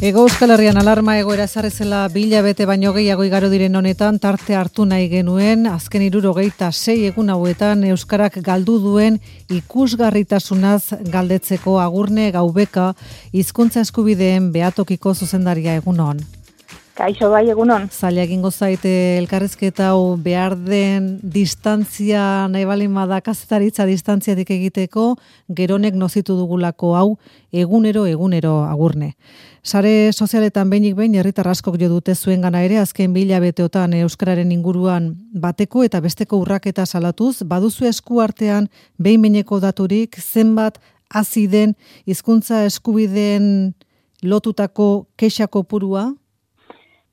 Hego Euskal Herrian alarma egoera ezarri zela 2 hilabete baino gehiago igaro diren honetan tarte hartu nahi genuen azken 76 egun hauetan euskarak galdu duen ikusgarritasunaz galdetzeko Agurne Gaubeka hizkuntza eskubideen behatokiko zuzendaria egunon. Kaixo bai egunon. Zaila egingo zaite elkarrizketa hau behar den distantzia nahi balin bada kazetaritza distantziatik egiteko geronek nozitu dugulako hau egunero Agurne. Sare sozialetan behinik behin herritar askok jo dute zuengana ere azken 2 hilabeteotan euskararen inguruan bateko eta besteko urraketa salatuz, baduzu esku artean behin-behineko daturik zenbat hazi den hizkuntza eskubideen lotutako kexa kopurua?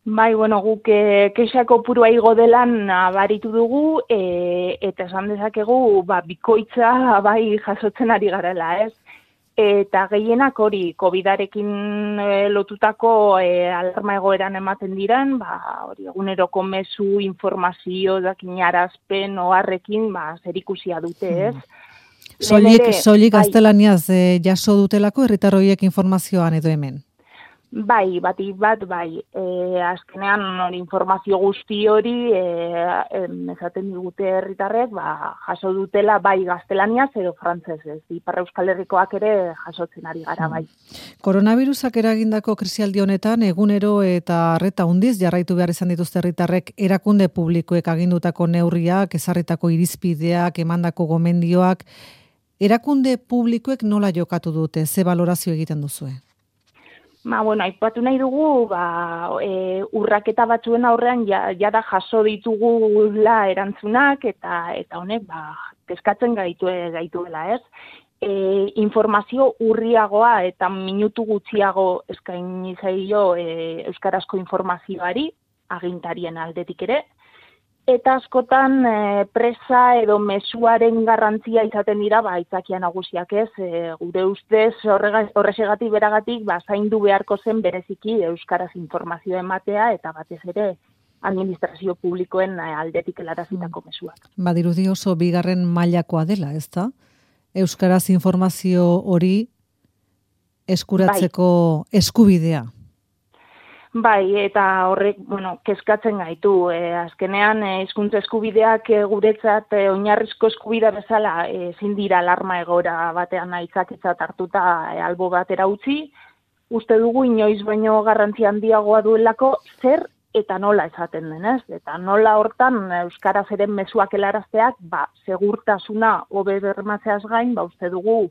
Bai, guk kexa kopurua igo delan nabaritu dugu eta esan dezakegu bikoitza bai jasotzen ari garela, ez? Eta gehienak hori, COVID-arekin lotutako alarma egoeran ematen diren, hori eguneroko mezu, informazio, dakinarazpen, oharrekin, zerikusia dute, ez? Soilik gaztelaniaz jaso dutelako herritar horiek informazioan edo hemen? Bai, bat, azkenean hori informazio guzti hori esaten digute herritarrek, jaso dutela bai gaztelaniaz edo frantsesez. Ipar Euskal Herrikoak ere jasotzen ari gara bai. Koronavirusak eragindako krisialdi honetan egunero eta arreta handiz jarraitu behar izan dituzte herritarrek erakunde publikoek agindutako neurriak, ezarritako irizpideak, emandako gomendioak. Erakunde publikoek nola jokatu dute, ze balorazio egiten duzue? Aipatu nahi dugu, urraketa batzuen aurrean jada jaso ditugula erantzunak eta honek kezkatzen gaituela, ez? Informazio urriagoa eta minutu gutxiago eskaini zaio euskarazko informazioari, agintarien aldetik ere, eta askotan presa edo mezuaren garrantzia izaten dira aitzakia nagusiak ez, gure ustez horrexegatik beragatik zaindu beharko zen bereziki euskaraz informazioa ematea eta batez ere administrazio publikoen aldetik helarazitako mezuak. Badirudi oso bigarren mailakoa dela, ezta? Euskaraz informazio hori eskuratzeko eskubidea. Bai, eta horrek, kezkatzen gaitu. Azkenean, hizkuntza eskubideak guretzat oinarrizko eskubidea bezala ezin dira alarma egoera batean aitzakiatzat hartuta albo batera utzi. Uste dugu inoiz baino garrantzi handiagoa duelako zer eta nola esaten denez. Eta nola hortan euskaraz ere mezuak helarazteak, segurtasuna hobe bermatzeaz gain, uste dugu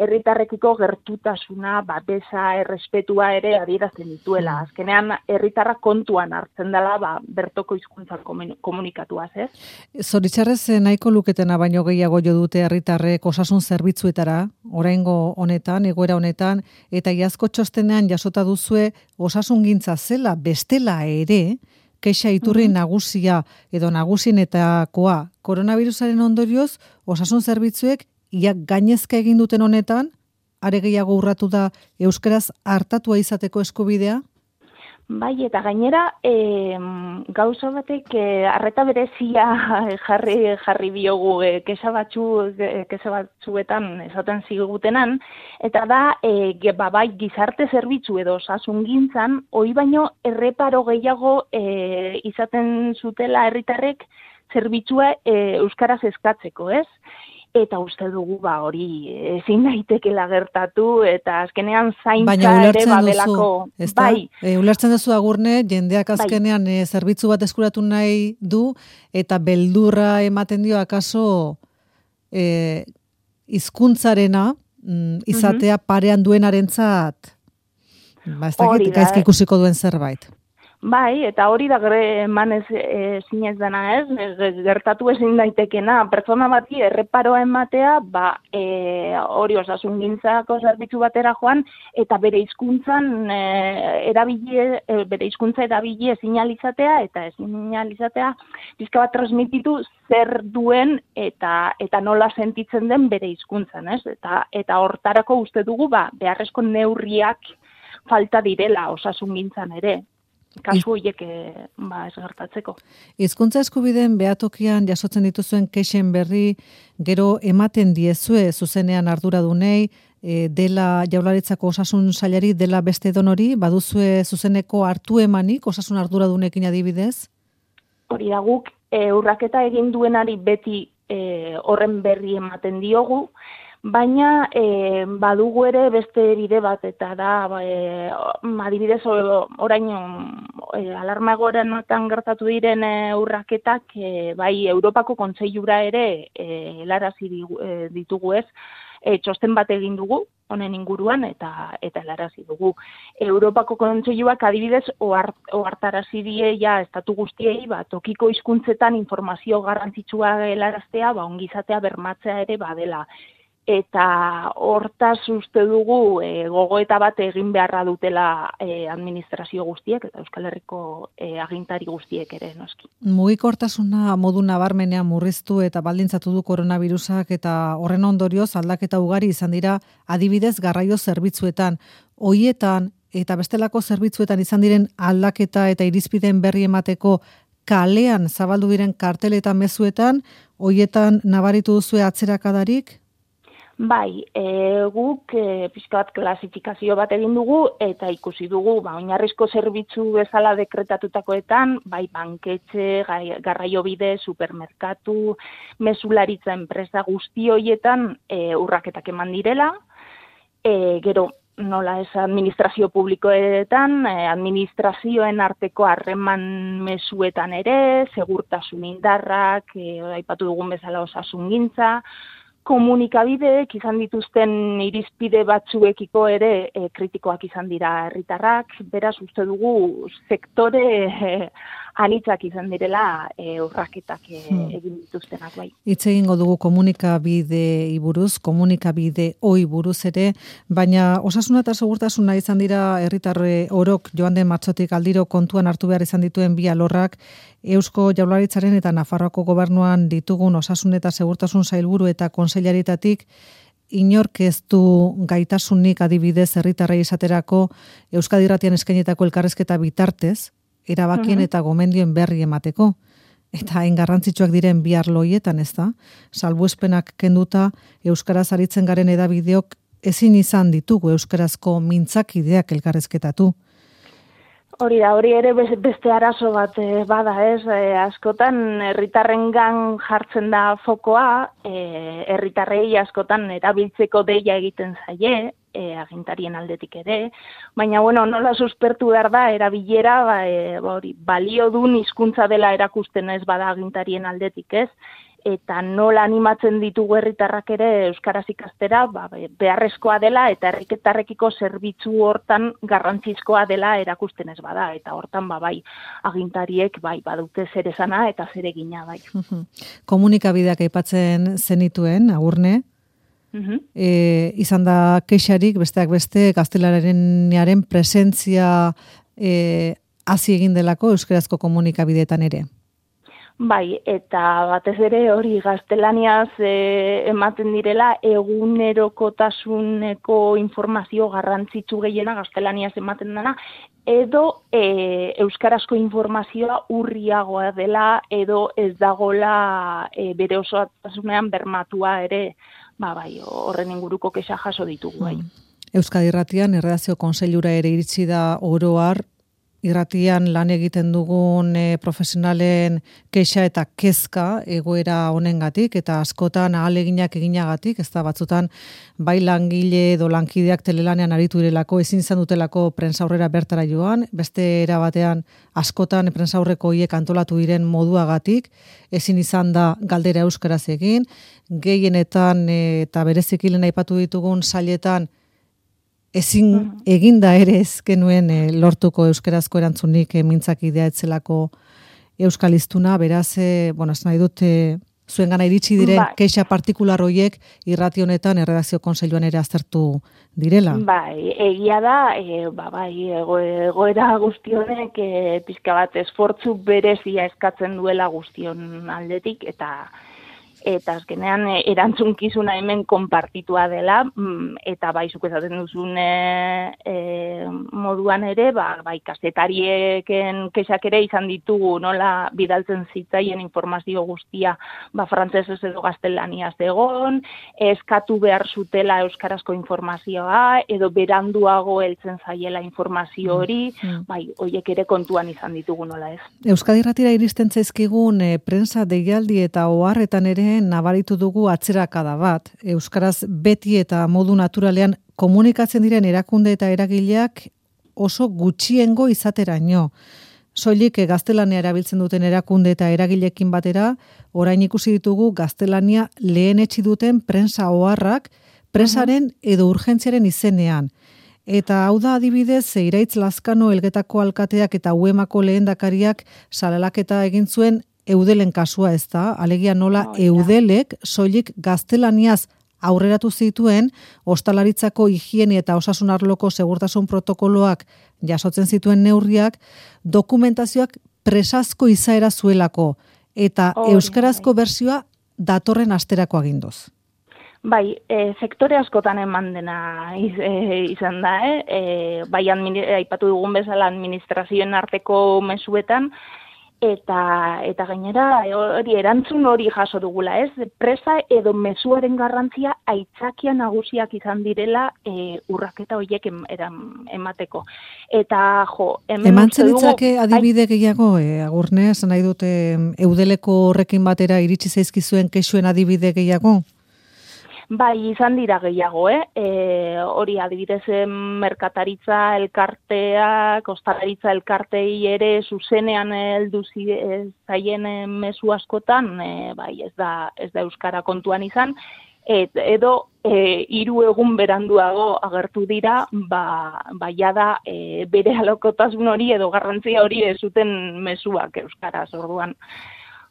herritarrekiko gertutasuna, babesa, errespetua ere adierazten dituela. Azkenean, herritarrak kontuan hartzen dela, bertoko hizkuntza komunikatuaz, ez? Zoritxarrez nahiko luketena baino gehiago jo dute herritarrek osasun zerbitzuetara, oraingo honetan, egoera honetan, eta iazko txostenean jasota duzue osasungintza zela bestela ere, kexa iturri nagusia edo nagusienetakoa koronavirusaren ondorioz, osasun zerbitzuek gainezka egin duten honetan, are gehiago urratu da euskaraz hartatua izateko eskubidea? Bai, eta gainera, gauza batek arreta berezia jarri biogu kexa batzuetan esaten zigutenan, eta da, bai gizarte zerbitzu edo osasungintzan, hori baino erreparo gehiago izaten zutela herritarrek zerbitzua euskaraz eskatzeko, ez? Eta uste dugu hori ezin daitekela gertatu eta azkenean zaintza ere badelako. Bai, ulertzen duzu Agurne, jendeak azkenean zerbitzu bat eskuratu nahi du eta beldurra ematen dio akaso hizkuntzarena izatea parean duenarentzat ez dakit gaizki ikusiko duen zerbait. Bai, eta hori da emanez zinez dena ez, gertatu ezin daitekena. Pertsona bati erreparoa ematea, hori osasungintzako zerbitzu batera joan, eta bere hizkuntzan bere hizkuntza erabili ezin alizatea, eta ezin alizatea, pizka bat transmititu zer duen eta nola sentitzen den bere hizkuntzan, ez? Eta hortarako uste dugu, beharrezko neurriak falta direla osasungintzan ere. Kasu horiek ez gertatzeko. Hizkuntza eskubideen behatokian jasotzen dituzuen kexen berri gero ematen diezue zuzenean arduradunei, dela Jaurlaritzako osasun sailari, dela beste donori, baduzue zuzeneko hartu emanik osasun arduradunekin adibidez? Hori da guk, urraketa egin duenari beti horren berri ematen diogu, baina badugu ere beste bide bat, eta da, adibidez, orain alarma egoeratan gertatu diren urraketak, bai Europako Kontseilura ere helarazi ditugu ez, txosten bat egin dugu, honen inguruan, eta helarazi dugu. Europako Kontseiluak adibidez ohartarazi die estatu guztiei, tokiko hizkuntzetan informazio garrantzitsua helaraztea, ongizatea bermatzea ere badela. Eta hortaz uste dugu gogoeta bat egin beharra dutela administrazio guztiek eta Euskal Herriko agintari guztiek ere noski. Mugikortasuna modu nabarmenean murriztu eta baldintzatu du koronavirusak eta horren ondorioz aldaketa ugari izan dira adibidez garraio zerbitzuetan. Hoietan eta bestelako zerbitzuetan izan diren aldaketa eta irizpideen berri emateko kalean zabaldu diren kartel eta mezuetan, hoietan nabaritu duzue atzerakadarik? Bai, guk pixka bat klasifikazio bat egin dugu eta ikusi dugu, oinarrizko zerbitzu bezala dekretatutakoetan, bai banketxe, garraiobide, supermerkatu, mezularitza enpresa guzti hoietan urraketak eman direla, gero nola ez administrazio publikoetan, administrazioen arteko harreman mezuetan ere, segurtasun indarrak, aipatu dugun bezala osasungintza, komunikabideek izan dituzten irizpide batzuekiko ere kritikoak izan dira herritarrak, beraz uste dugu sektore anitzak izan direla urraketak egin dituztenak bai. Hitz egingo dugu komunikabidei buruz, komunikabide oi buruz ere, baina osasuna eta segurtasuna izan dira herritarre orok joan den martxotik aldiro kontuan hartu behar izan dituen bi alorrak, Eusko Jaurlaritzaren eta Nafarroako gobernuan ditugun osasun eta segurtasun sailburu eta kontseilaritatik inork ez du gaitasunik adibidez herritarrei esaterako Euskadi Irratian eskainetako elkarrizketa bitartez, erabakien eta gomendioen berri emateko. Eta hain garrantzitsuak diren bi arlo horietan, ez da? Salbuespenak kenduta euskaraz aritzen garen hedabideok ezin izan ditugu euskarazko mintzakideak elkarrizketatu. Hori ere beste arazo bat bada ez, askotan herritarrengan jartzen da fokoa, herritarrei askotan erabiltzeko deia egiten zaie, agintarien aldetik ere, baina nola suspertu behar da erabilera, baliodun hizkuntza dela erakusten ez bada agintarien aldetik ez, eta nola animatzen ditugu herritarrak ere euskaraz ikastera, beharrezkoa dela eta herritarrekiko zerbitzu hortan garrantzizkoa dela erakusten ez bada, eta hortan bai agintariek badute zer esana eta zer egina bai. Komunikabideak aipatzen zenituen, Agurne, izan da kexarik besteak beste gaztelaniaren presentzia hasi egin delako euskarazko komunikabideetan ere. Bai, eta batez ere hori gaztelaniaz ematen direla egunerokotasuneko informazio garrantzitsu gehiena gaztelaniaz ematen dena, edo euskarazko informazioa urriagoa dela, edo ez dagola bere osotasunean bermatua ere, horren inguruko kexa jaso ditugu bai. Euskadi Irratian erredakzio kontseilura ere iritsi da oro har, irratian lan egiten dugun profesionalen kexa eta kezka egoera honengatik eta askotan ahaleginak eginagatik, ez da batzutan bai langile edo lankideak telelanean aritu direlako, ezin izan dutelako prentsaurrera bertara joan, beste era batean askotan prentsaurreko hiek antolatu diren moduagatik, ezin izan da galdera euskaraz egin, gehienetan eta bereziki lehen aipatu ditugun sailetan ezin eginda ere ez genuen lortuko euskarazko erantzunik mintzakidea etzelako euskaliztuna, beraz, ez nahi dut zuen gana iritsi diren kexa partikular horiek irrati honetan erredakzio kontseiluan ere aztertu direla. Bai, egia da, egoera guztionek pixka bat esfortzu berezia eskatzen duela guztion aldetik, eta azkenean erantzunkizuna hemen konpartitua dela, eta zuk esaten duzun moduan ere, bai kazetarieken kexak ere izan ditugu, nola bidaltzen zitzaien informazio guztia, frantsesez edo gaztelaniaz egon, eskatu behar zutela euskarazko informazioa, edo beranduago heltzen zaiela informazio hori, bai, horiek ere kontuan izan ditugu nola ez. Euskadi Irratira iristen zaizkigun prensa deialdi eta oharretan ere nabaritu dugu atzerakada bat. Euskaraz beti eta modu naturalean komunikatzen diren erakunde eta eragileak oso gutxiengo izateraino. Soilik gaztelania erabiltzen duten erakunde eta eragileekin batera, orain ikusi ditugu gaztelania lehenetsi duten prensa oharrak presaren edo urgentziaren izenean. Eta hau da adibidez, Iraitz Lazkano Elgetako alkateak eta UEMako lehendakariak salalaketa egin zuen Eudelen kasua, ez da? Alegia nola Eudelek soilik gaztelaniaz aurreratu zituen, ostalaritzako higiene eta osasun arloko segurtasun protokoloak jasotzen zituen neurriak, dokumentazioak presazko izaera zuelako, eta euskarazko bertsioa datorren asterako aginduz. Bai, sektore askotan eman dena izan da, bai aipatu dugun bezala administrazioen arteko mezuetan, eta gainera hori erantzun hori jaso dugula, ez? Presa edo mezuaren garrantzia aitzakia nagusiak izan direla urraketa horiek emateko. Eta emantzen ditzake adibide gehiago, Agurne, esan nahi dute Eudeleko horrekin batera iritsi zaizkizuen kexuen adibide gehiago? Bai, izan dira gehiago, hori adibidez merkataritza elkarteak, ostalaritza elkartei ere zuzenean heldu zaien mezu askotan, bai, ez da euskara kontuan izan, edo 3 egun beranduago agertu dira, jada bere alokotasun hori edo garrantzia hori ez zuten mezuak euskaraz, orduan.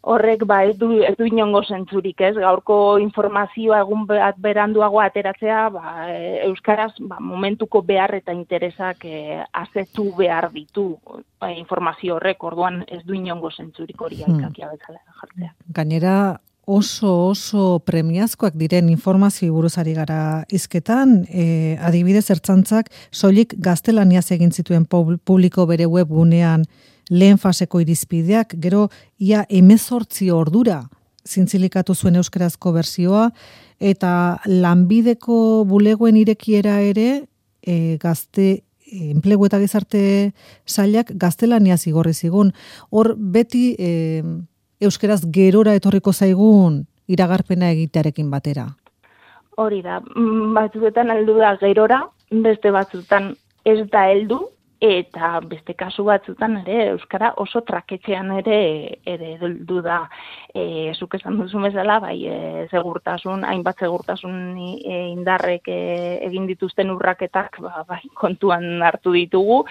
Horrek ez du inongo zentzurik, ez? Gaurko informazioa egun bat beranduago ateratzea, euskaraz momentuko behar eta interesak azetu behar ditu informazio horrek, orduan ez du inongo zentzurik hori aitzakia bezala jartzea. Gainera oso premiazkoak diren informazio buruzari gara hizketan, adibidez Ertzaintzak soilik gaztelaniaz egin zituen publiko bere webgunean lehen faseko irizpideak, gero ia 18 ordura zintzilikatu zuen euskarazko bertsioa, eta lanbideko bulegoen irekiera ere gazte enplegu eta gizarte sailak gaztelaniaz igorri zigun. Hor beti euskaraz gerora etorriko zaigun iragarpena egitearekin batera. Hori da, batzuetan heldu da gerora, beste batzuetan ez da heldu, eta beste kasu batzutan ere euskara oso traketxean ere heldu da. Zuk esan duzu bezala, bai, hainbat segurtasun indarrek egin dituzten urraketak, bai, kontuan hartu ditugu,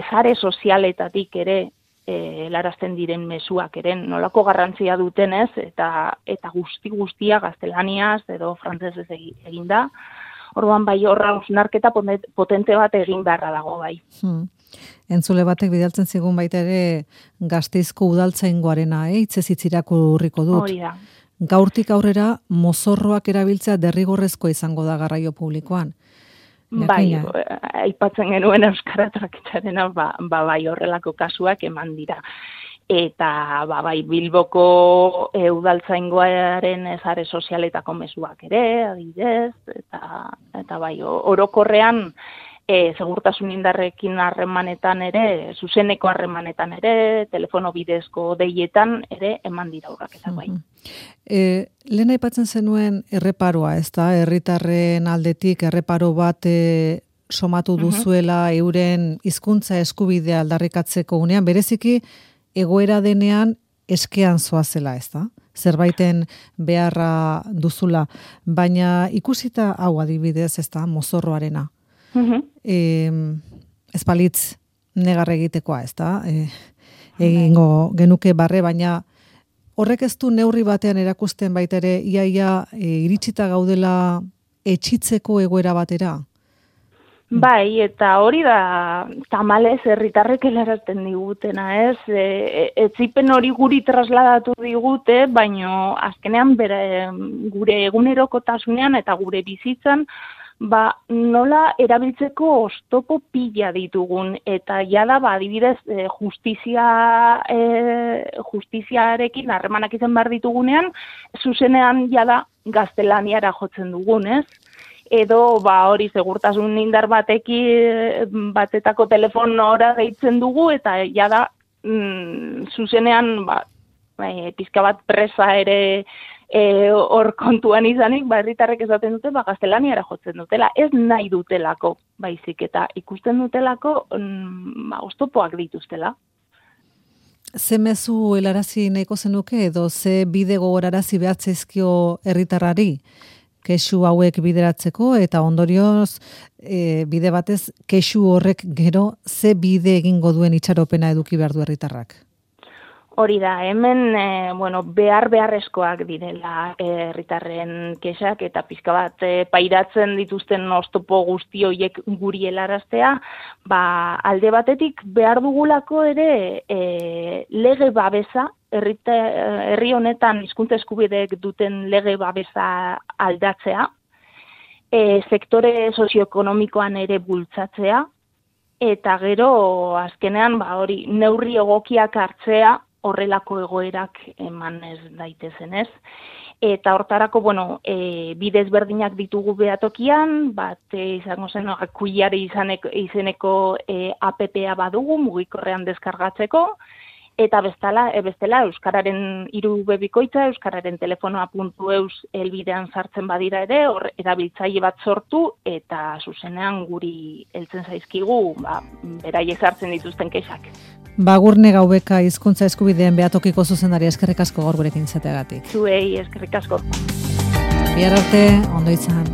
sare sozialetatik ere helarazten diren mezuak ere nolako garrantzia dutenez, eta guztia gaztelaniaz edo frantsesez egin da. Orduan bai horra hausnarketa potente bat egin beharra dago bai. Entzule batek bidaltzen zigun baita ere Gasteizko udaltzaingoarena, hitzez hitz irakurriko dut. Hori da. Gaurtik aurrera mozorroak erabiltzea derrigorrezkoa izango da garraio publikoan. Bai, aipatzen genuen euskara traketxarena, bai horrelako kasuak eman dira. Eta bai Bilboko udaltzaingoaren sare sozialetako mezuak ere, adibidez, eta bai orokorrean segurtasun indarrekin harremanetan ere, zuzeneko harremanetan ere, telefono bidezko deietan ere eman dira urraketak bai. Lehen aipatzen zenuen erreparoa, ez da, herritarren aldetik erreparo bat somatu duzuela euren hizkuntza eskubidea aldarrikatzeko unean, bereziki egoera denean eskean zoazela, ez da? Zerbaiten beharra duzula, baina ikusita hau adibidez, ez da, mozorroarena. Ez balitz negar egitekoa, ez da? Egingo genuke barre, baina horrek ez du neurri batean erakusten baita ere, iaia iritsita gaudela etxitzeko egoera batera? Bai, eta hori da tamalez herritarrek helarazten digutena, ez? Etzipen hori guri trasladatu digute, baino azkenean gure egunerokotasunean eta gure bizitzan nola erabiltzeko oztopo pila ditugun, eta jada, adibidez, justiziarekin harremanak izan behar ditugunean, zuzenean jada gaztelaniara jotzen dugun, ez? Edo, hori segurtasun indar batetako telefonora deitzen dugu, eta jada, zuzenean, pizka bat presa ere hor kontuan izanik, herritarrek esaten dute, gaztelaniara jotzen dutela. Ez nahi dutelako, baizik, eta ikusten dutelako, oztopoak dituztela. Ze mezu helarazi nahiko zenuke, edo ze bide gogorarazi behatzeizkio herritarrari kexu hauek bideratzeko, eta ondorioz bide batez kexu horrek gero ze bide egingo duen itxaropena eduki behar du herritarrak? Hori da, hemen beharrezkoak direla herritarren kexak, eta pizka bat pairatzen dituzten oztopo guzti horiek guri helaraztea, alde batetik behar dugulako ere lege babesa, herri honetan hizkuntza eskubideek duten lege babesa aldatzea, sektore sozioekonomikoan ere bultzatzea, eta gero azkenean hori neurri egokiak hartzea horrelako egoerak eman ez daitezen, ez? Eta hortarako, bide ezberdinak ditugu behatokian, izango zen, kuiari izeneko APP-a badugu, mugikorrean deskargatzeko, eta bestela Euskararen irubebikoitza, Euskararen telefonoa.eus helbidean sartzen badira ere, hor erabiltzaile bat sortu, eta zuzenean guri heltzen zaizkigu, beraiek sartzen dituzten kexak. Gurne Gaubeka hizkuntza eskubideen behatokiko zuzendari, eskerrik asko gaur gurekin izateagatik. Zuei, eskerrik asko. Bihar arte, ondo izan.